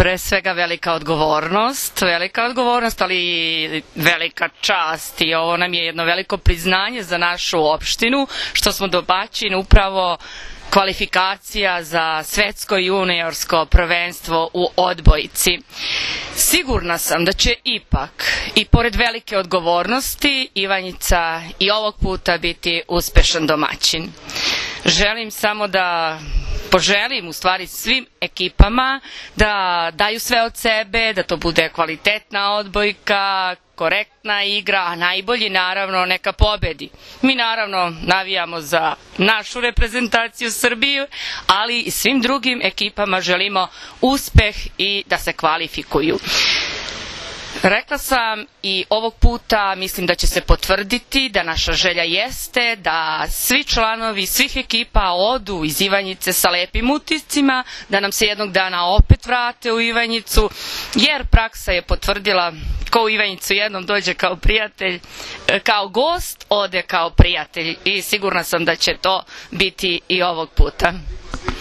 pre svega velika odgovornost, ali i velika čast i ovo nam je jedno veliko priznanje za našu opštinu, što smo domaćin upravo kvalifikacija za svetsko juniorsko prvenstvo u odbojci. Sigurna sam da će ipak, i pored velike odgovornosti, Ivanjica i ovog puta biti uspešan domaćin. Želim samo da poželim u stvari svim ekipama da daju sve od sebe, da to bude kvalitetna odbojka, korektna igra, a najbolji naravno neka pobedi. Mi naravno navijamo za našu reprezentaciju Srbiju, ali i svim drugim ekipama želimo uspeh i da se kvalifikuju. Rekla sam i ovog puta mislim da će se potvrditi da naša želja jeste da svi članovi svih ekipa odu iz Ivanjice sa lepim utiscima, da nam se jednog dana opet vrate u Ivanjicu, jer praksa je potvrdila ko u Ivanjicu jednom dođe kao prijatelj, kao gost, ode kao prijatelj i sigurna sam da će to biti i ovog puta.